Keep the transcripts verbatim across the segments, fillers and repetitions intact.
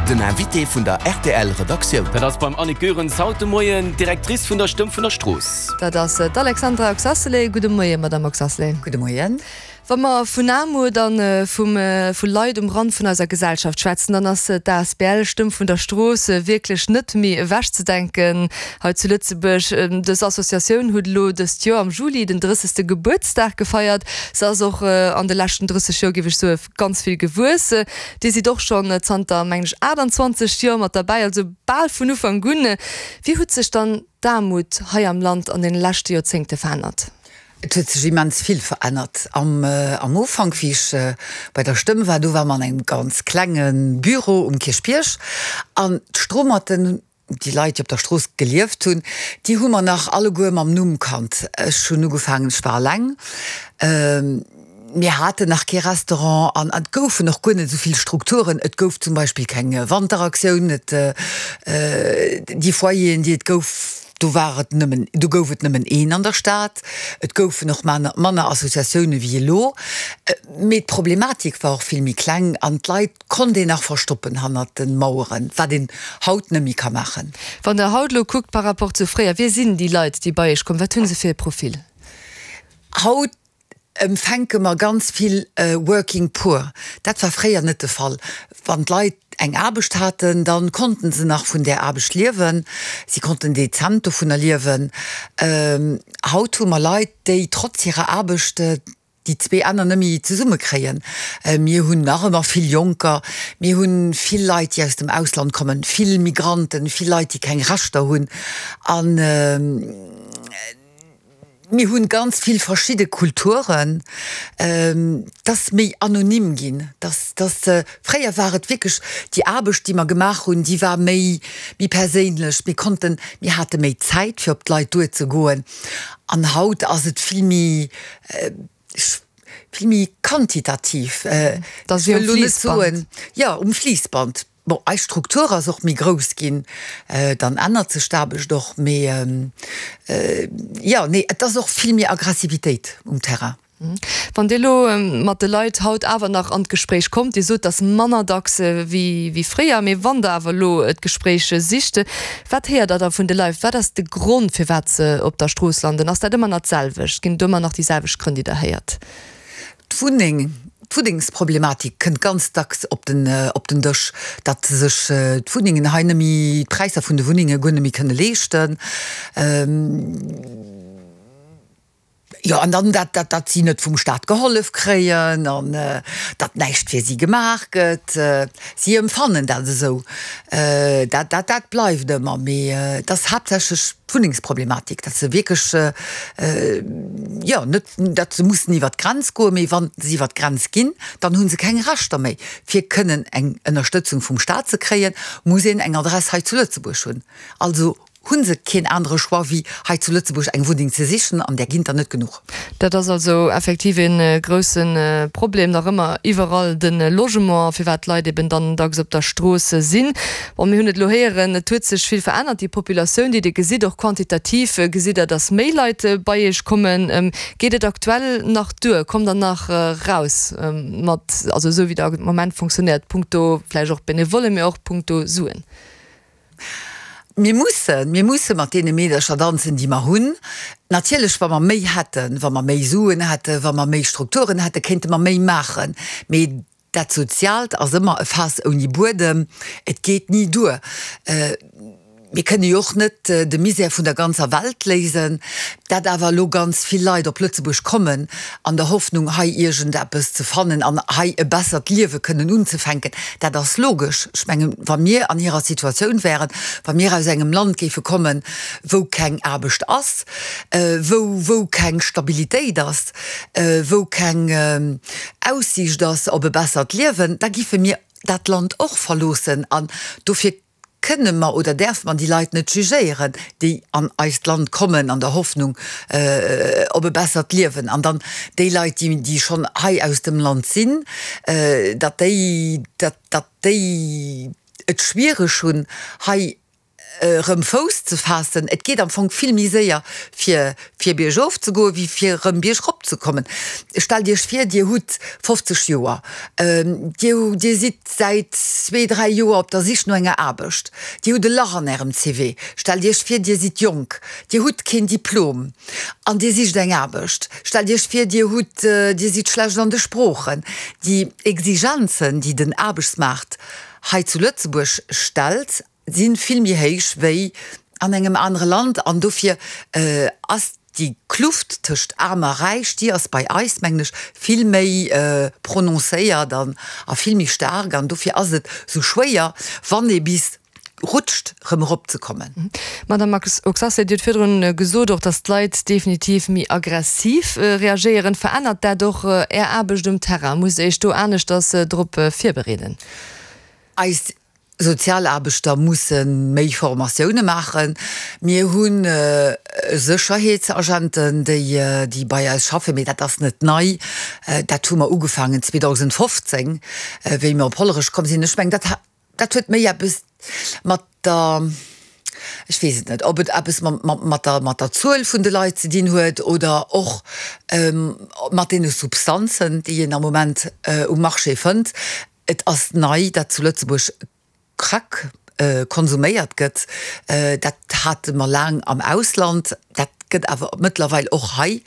Den Invité vun der R T L Redaktioun. Dat ass beim Annick Goerens haut de Moien d'Directrice vun der Stëmm vun der Strooss. Dat ass d'Alexandra Oxacelay. Gudde Moien, Madame Oxacelay. Gudde Moien. Wa mer vun Aarmut an vum vu Leit um Rand vun eiser Gesellschaft schwätzen, dann ass d'A S B L Stëmm vun der Strooss wierklech net méi ewechzedenken hei zu Lëtzebuerg. Dës Associatioun huet elo dëst Joer am Juli den drëssegste Gebuertsdag gefeiert. Se ass och an de leschten drësseg Joer, géif ech soen, ganz vill gewuess. Dir sidd och schonn zanter, mengen ech, aachtanzwanzeg Joer mat derbäi, also bal vun Ufank un. Wéi huet sech dann d'Aarmut hei am Land an deene leschte Joerzéngte verännert? Et huet sech immens vill verännert. Am, äh, am Ufank, wéi ech äh, bei der Stëmm war, do ware mer an engem ganz klenge Büro um Kierchbierg an d'Stromatten, déi Leit, déi op der Strooss gelieft hunn, déi hu mer nach alleguer mam Numm kannt. Ech hunn ugefaangen, ech war eleng. Ähm, mir haten nach kee Restaurant an et goufen och guer net esou vill Strukturen. Et gouf zum Beispill keng Wanteraktioun, et, äh, déi Foyeren, déi et gouf, do war et nëmmen, do gouf et nëmmen een an der Stad. Et goufen och manner, manner Associatioune wéi elo. Mee d'Problematik war och vill méi kleng an d'Leit konnt een nach verstoppen hannert de Maueren, wat een haut net méi ka maachen. Wann Der haut elo kuckt par rapport zu fréier, wie sinn déi Leit, déi bei Iech kommen? Wat hunn se fir e Profil? Haut empfänke mer ganz vill äh, Working Poor. Dat war fréier net de Fall. Wann d'Leit eng Aarbecht haten, dann konnten se nach vun der Aarbecht liewen. Si konnten dezent dovunner liewen. Ähm, haut hu mer Leit, déi trotz hirer Aarbecht äh, déi zwee Enner net méi zesummekréien. Äh, mir hunn nach ëmmer vill Jonker, mir hunn vill Leit, déi aus dem Ausland kommen, vill Migranten, vill Leit, déi keng Rechter hunn. An ähm, mir hunn ganz vill verschidde Kulturen, ähm, dat ass méi anonym ginn. Das, das, äh, fréier war et wierklech déi Aarbecht, déi mer gemaach hunn, déi war méi, méi perséinlech. Mir konnten, mir hate méi Zäit fir op d'Leit duerzegoen. An haut ass et vill méi äh, vill méi quantitativ. Äh, Dat ass wéi um Fliissband. Ja, um Fliissband. Bon, eis Struktur ass och méi grouss ginn, äh, dann ännert sech d'Aarbecht och méi ähm, äh, ja, nee, et ass och vill méi Aggressivitéit um Terrain. Wann Dir elo ähm, mat de Leit haut awer nach an d'Gespréich kommt, Dir sot, dat ass manner dacks äh, wéi, wéi fréier, mee wann Der awer elo d'Gespréich sicht, wat héiert Der da vun de Leit? Wat ass de Grond, firwat se op der Strooss landen? Ass dat ëmmer nach d'selwecht? Ginn et ëmmer nach déi selwecht Grënn, déi Der héiert? D'Wunneng, d'Wunnengsproblematik kënnt ganz dacks op den, äh, op den Dësch, datt se sech äh, d'Wunnengen hei net méi, d'Präisser vun de Wunnenge guer net méi kënne leeschten. Ähm, ja, an dann dat, dat, dat si net vum Staat gehollef kréien an äh, dat näischt fir si gemaach gëtt. Äh, si empfannen dat esou. Äh, dat, dat, dat bleift ëmmer, mee äh, dat ass haaptsächlech d'Wunnengsproblematik, dat se wierklech äh, äh, ja, net, dat se mussen iwwer d'Grenz goen, mee wann se iwwer d'Grenz ginn, dann hunn se keng Rechter méi. Fir kënnen eng Ënnerstëtzung vum Staat ze kréien, muss een eng Adress hei zu Lëtzebuerg hunn. Also hunn se keen anere Choix wéi hei zu Lëtzebuerg eng Wunneng ze sichen an där ginn der net genuch. Dat ass also effektiv e äh, grousse äh, Problem nach ëmmer iwwerall de Logement, firwat d'Leit eben dann dacks op der Strooss sinn. Bon, mir hunn et elo héieren, et huet sech vill verännert, déi Populatioun, déi Dir gesitt, och quantitativ äh, gesitt Der, dass méi Leit äh, bei Iech kommen. Ähm, geet et aktuell nach duer? Kommt Der nach äh, raus ähm, mat, also esou wéi dat am Moment funktionéiert, punkto vläicht och Benevolle, mee och punkto Suen? Mir mussen, mir musse mat deene Meedercher danzen, déi mer hunn. Natierlech, wa mer méi hätten, wa mer méi Suen hätten, wa mer méi Strukturen hätten, kéinte mer méi maachen. Mee dat Soziaalt ass ëmmer e Faass ouni Buedem, et geet ni duer. Äh, mir kënne jo och net äh, de Misär vun der ganzer Welt léisen, dat awer lo ganz vill Leit op Lëtzebuerg kommen, an der Hoffnung hei iergendeppes ze fannen an hei e bessert Liewe kënnen unzefänken. Dat ass logesch. Ech mengen, wa mir an hirer Situatioun wären, wa mir aus engem Land géife kommen, wou keng Aarbecht ass, äh, wou, wou keng Stabilitéit ass, äh, wou keng äh, Aussiicht ass op e bessert Liewen, da géife mir dat Land och verloossen an dofir kënne mer oder däerf man déi Leit net jugéieren, déi an eist Land kommen an der Hoffnung äh, op e bessert Liewen. An dann déi Leit, déi, déi schonn hei aus dem Land sinn, äh, dat déi, dat, dat déi et schwiereg hunn, hei erëm Fouss ze faassen, et geet am Fong vill méi séier fir fir biergof ze goen, wéi fir erëm biergrop ze kommen. Stellt Iech vir, Dir hutt fofzeg Joer, Dir Dir sidd säit zwee, dräi Joer op der Sich no enger Aarbecht, Dir hutt e Lach an Ärem C V. Stellt Iech vir, Dir sidd jonk, Dir hutt keen Diplom an Dir sicht eng Aarbecht. Stellt Iech vir, Dir hutt Dir sidd schlecht an de Sproochen. Déi Exigenzen, déi den Aarbechtsmaart hei zu Lëtzebuerg stellt, si vill méi héich wéi an engem anere Land an dofir ass déi Kluft tëscht Aarm a Räich, déi ass bei eis, mengen ech, vill méi prononcéiert an a vill méi staark an dofir ass et sou schwéier, wann ee bis rutscht, rëm erop ze kommen. Madame Oxacelay, Dir hutt virdrun gesot och, datt d'Leit definitiv méi aggressiv reagéieren. Verännert dat och Är Aarbecht um Terrain? Musst Dir Iech do aneschters drop virbereeden? Eis Sozialaarbechter musse méi Formatioune maachen. Mir hu Sécherheetsagenten, déi bei eis schaffen, mee dat ass net nei. Dat hu mer ugefaangen zweedausendfofzéng, wéi mer op Hollerech komm sinn. Ech mengen, dat dat huet méi eppes mat der, ech weess et net, ob et eppes mat der mat der Zuel vun de Leit ze dinn huet oder och mat deene Substanzen, déi een am Moment um Marché fënnt. Et ass nei, datt zu Lëtzebuerg Crack konsuméiert gëtt. Dat hate mer laang am Ausland, dat gëtt awer mëttlerweil och hei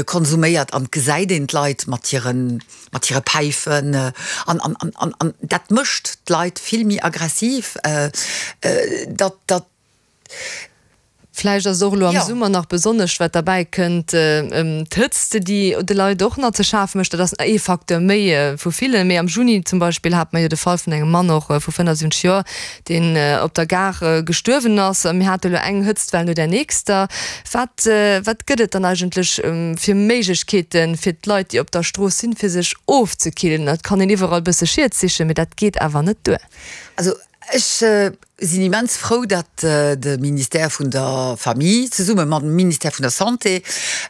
konsuméiert an et gesäit een d'Leit mat hire mat hire Päifen an an an an dat mécht d'Leit vill méi aggressiv. Dat dat. Vläicht ass och elo am Jo. Summer nach besonnesch, wat derbäi kënnt, d'Hëtzt, déi de Leit och nach ze schafe mécht. Dat ass ee Facteur méi vu villen. Mee am Juni zum Beispill hate mer jo de Fall vun engem Mann och vu fënnefundsiwwenzeg Joer, deen op der Gare gestuerwen ass. Mir hate elo eng Hëtztwell no där nächster. Wat, wat gëtt et dann eigentlech fir Méiglechkeeten fir d'Leit, déi op der Strooss sinn, fir sech ofzekillen? Et kann een iwwerall e bësse Schied sichen, mee dat geet awer net duer. Also ech sinn immens frou, datt de Ministère vun der Famille zesumme mam Ministère vun der Santé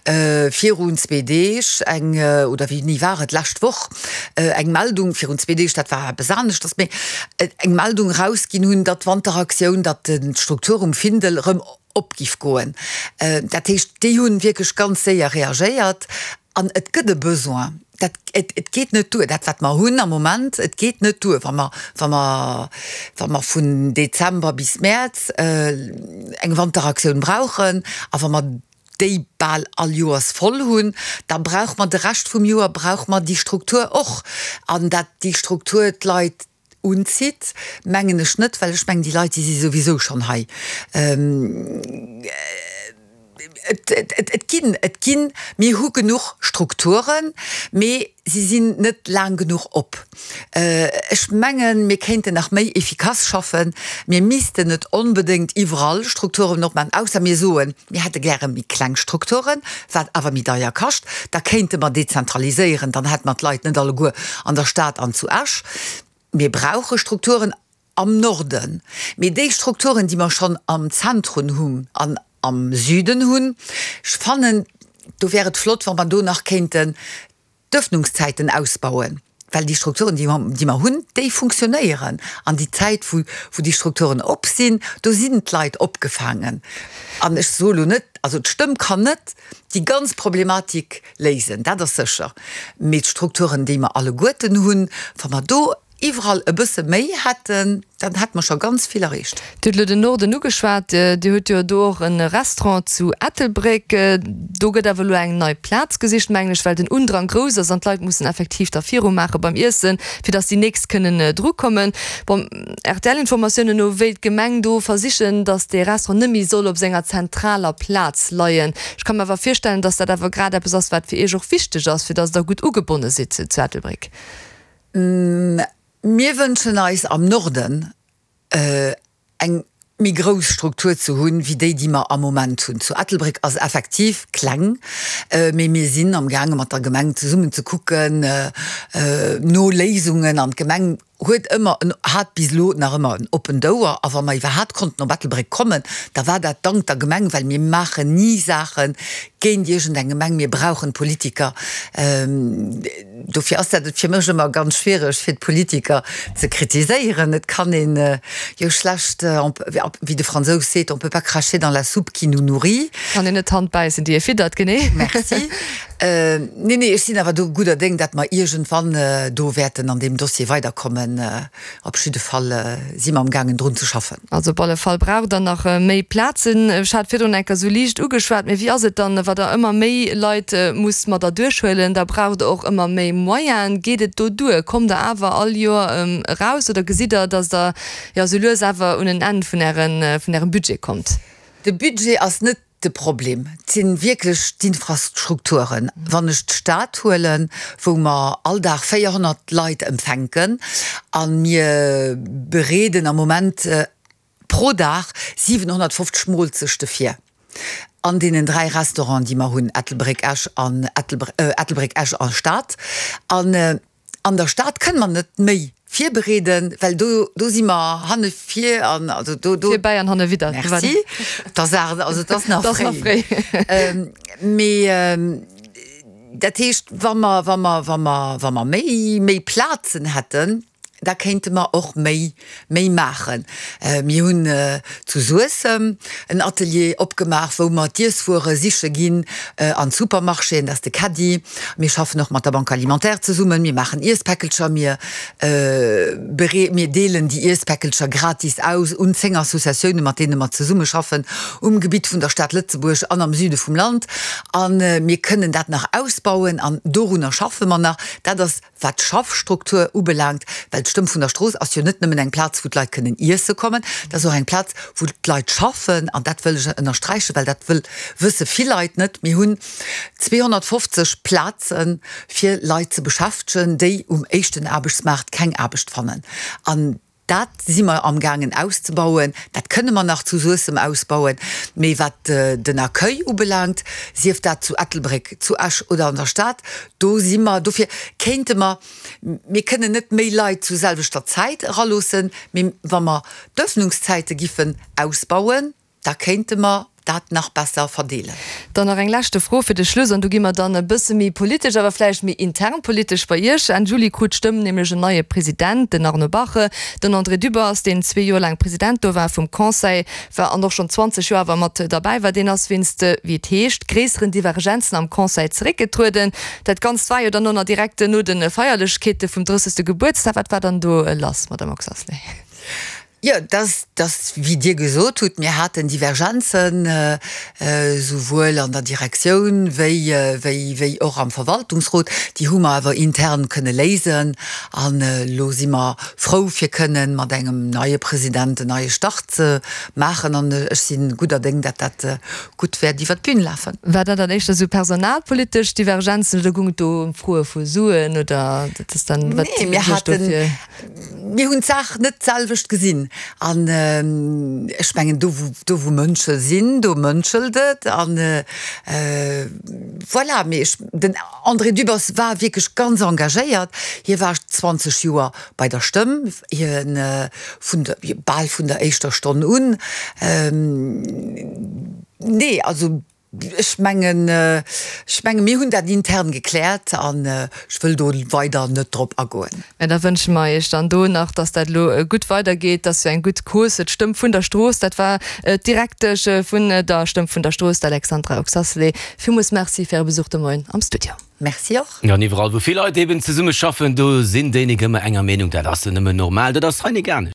virun zwee Deeg eng, oder wéini war et, d'lescht Woch, eng Meldung, virun zwee Deeg, dat war eppes aneschters, mee eng Meldung erausginn hunn, datt d'Wanteraktioun, datt d'Struktur um Findel erëm op giff goen. Dat heescht, déi hunn wierklech ganz séier reagéiert an et gëtt e Besoin. Dat, et, et geet net duer, dat wat mer hunn am Moment, et geet net duer, wa mer, wa mer, wa mer vun Dezember bis Mäerz eng Wanteraktioun brauchen a wa mer déi bal all Joers voll hunn, da brauche mer de Rescht vum Joer brauche mer déi Struktur och. An dat déi Struktur d'Leit unzitt, mengen ech net, well ech mengen, déi Leit, déi si souwisou schonn hei. Et, et, et ginn, et ginn, mir hu genuch Strukturen, mee si sinn net laang genuch op. Ech mengen, mir kéinten nach méi efficace schaffen. Mir missten net onbedéngt iwwerall Strukturen opmaachen, ausser mir soen, mir hätte gäre méi kleng Strukturen, wat awer méi deier kascht. Da kéinte mer dezentraliséieren, dann hätte mer d'Leit net alleguer an der Stad an zu Esch. Mir brauche Strukturen am Norden, mee déi Strukturen, déi mer schonn am Zentrum hunn an am Süden hunn, ech fannen, do wär et flott, wa mer do nach kéinten d'Öffnungszäiten ausbauen, well déi Strukturen, déi mer, déi mer hunn, déi funktionéieren. An déi Zäit, wou, wou déi Strukturen op sinn, do sinn d'Leit opgefaangen. An ech soe lo net, also d'Stëmm kann net déi ganz Problematik léisen, dat ass sécher, mee d'Strukturen, déi mer alleguerten hunn, wa mer do iwwerall e bësse méi hätten, dann hätte mer scho ganz vill erreecht. Dir hutt elo den Norden ugeschwat. Dir hutt jo do och e Restaurant zu Ettelbréck. Do gëtt awer elo eng nei Plaz gesicht, mengen ech, well den Undrang grouss ass an d'Leit mussen effektiv da virumaache beim Iessen, fir datt déi nächst kënnen drukommen. Bon, R T L-Informatiounen no wéilt d'Gemeng do versichen, datt dee Restaurant net méi soll op senger zentraler Plaz leien. Ech ka mer awer virstellen, datt dat awer grad eppes ass, wat fir Iech och wichteg ass, fir datt Der gutt ugebonne sidd zu Ettelbréck. Mir wënschen eis am Norden eng méi grouss Struktur ze hunn, wéi déi, déi mer am Moment hunn. Zu Ettelbréck ass effektiv kleng, mee mir sinn amgaange mat der Gemeng zesummen ze kucken no Léisungen an d'Gemeng huet ëmmer en, hat bis elo nach ëmmer en oppent Ouer a wa mer iwwerhaapt konnten op Ettelbréck kommen, da war dat dank der Gemeng, well mir maachen ni Saache géint iergendeng Gemeng, mir brauchen d'Politiker. Dofir ass dat et fir mech ëmmer ganz schwiereg, fir d'Politiker ze kritiséieren. Et kann een jo schlecht, wéi de Fransous seet, on peut pas cracher dans la soupe qui nous nourrit. Kann een net d'Hand bäissen, déi ee fiddert, genee. Merci. Nee, nee, ech sinn awer do gudder Déng, datt mer iergendwann do wäerten an deem Dossier weiderkommen. Op jidde Fall si mer amgaangen, drun ze schaffen. Also op alle Fall braucht Der nach méi Plazen. Ech hat virdrun eng Kéier esou liicht ugeschwat, mee wéi ass et dann, wa Der ëmmer méi Leit musst mat erduerchhuelen, da braucht Der och ëmmer méi Moyenen. Geet et do duer? Kommt Der awer all Joer eraus oder gesitt Der, datt Der jo esou lues awer un en Enn vun Ären, vun Ärem Budget kommt? De Budget ass net de Problem, et si wierklech d'Infrastrukturen. Wann ech d'Stad huelen, wou mer all Dag véierhonnert Leit empfänken a mir bereeden am Moment pro Dag siwenhonnertfofzeg Moolzechte vir an deenen dräi Restauranten, déi mer hunn, Ettelbréck, Esch an Ettelbréck, Esch a Stad. An an der Stad kënne mer net méi virbereeden, well do, do si mer hanne vir an also do, do. Virbäi an hanne widder. Merci. Et ass awer, also et ass nach fréi. Mee dat heescht, wa mer, wa mer, wa mer, wa mer méi, méi Plazen hätten, da kéinte mer och méi, méi maachen. Mir hunn zu Suessem en Atelier opgemaach, wou mer d'Iesswuere siche ginn an d'Supermarchéen, dat ass de Caddie. Mir schaffen och mat der Banque alimentaire zesummen, mir maachen Iesspäckelcher, mir beree, mir deelen déi Iesspäckelcher gratis aus un zéng Associatiounen, mat deene mer zesummeschaffen um Gebitt vun der Stad Lëtzebuerg an am Süde vum Land. A mir kënnen dat nach ausbauen an dorunner schaffe mer nach. Dat ass Wat d'Schaffstruktur ubelaangt, well d'Stëmm vun der Strooss ass jo net nëmmen eng Plaz, wou d'Leit kënnen iesse kommen, dat ass och eng Plaz, wou d'Leit schaffen. An dat wëll ech ënnersträichen, well dat wëll, wësse vill Leit net. Mir hunn zweehonnertfofzeg Plaze fir Leit ze beschäftegen, déi um éischten Aarbechtsmaart keng Aarbecht fannen. An dat si mer amgaangen auszebauen. Dat kënne mer nach zu Suessem ausbauen. Mee wat den Accueil ubelaangt, sief dat zu Ettelbréck, zu Esch oder an der Stad, do si mer, dofir kéinte mer, mir kënnen net méi Leit zu selwechter Zäit eraloossen, mee wa mer d'Öffnungszäite giffen ausbauen, da kéinte mer dat nach besser verdeelen. Dann nach eng leschte Fro fir de Schluss, an do gi mer dann e bësse méi politesch, awer vläicht méi intern politesch bei Iech. Enn Juli krut d'Stëmm nämlech en neie President, den Arno Bache. Den André Dübbers, deen zwee Joer laang President do war vum Conseil war an och schonn zwanzeg Joer awer mat derbäi war, deen ass wéinst, wéi et heescht, gréisseren Divergenzen am Conseil zeréckgetrueden. Dat Ganzt war jo dann och nach direkt no de Feierlechkeete vum drëssegste Gebuertsdag. Wat war dann do lass, Madamm Oxacelay? Jo, dass, dass, wéi Dir gesot hutt, mir haten Divergenzen, souwuel an der Direktioun wéi, wéi, wéi och am Verwaltungsrot. Déi hu mer awer intern kënne léisen. An elo si mer frou, fir kënnen mat engem neie President en neie Start ze maachen. An ech si gudder Déng, dat dat gutt wäert iwwert d'Bün lafen. War dat dann éischter esou personalpolitesch Divergenzen oder goung et do ëm Froe vu Suen oder dat ass dann, wat Nee, mir haten, mir hunn d'Saach net d'selwecht gesinn. An ech mengen, do wou, do wou Mënsche sinn, do mënschelt et. An voilà, mee ech, den André Dübbers war wierklech ganz engagéiert. Hie war zwanzeg Joer bei der Stëmm, hien vun der, bal vun der éischter Stonn un. Nee, also Ech mengen, ech mengen, mir hunn dat intern gekläert an ech wëll do weider net drop agoen. Mä da wënsche mer Iech dann do nach, dass dat elo gutt weidergeet, dass jo eng gutt Cause, d'Stëmm vun der Strooss, dat war d'Direktesch vun der Stëmm vun der Strooss, d'Alexandra Oxacelay. Villmools Merci fir Äre Besuch de Moien am Studio. Merci och. An iwwerall wou vill Leit eben zesumme schaffen, do sinn déi nik ëmmer enger Meenung. Dat ass jo nëmmen normal, dat ass hei nik anescht.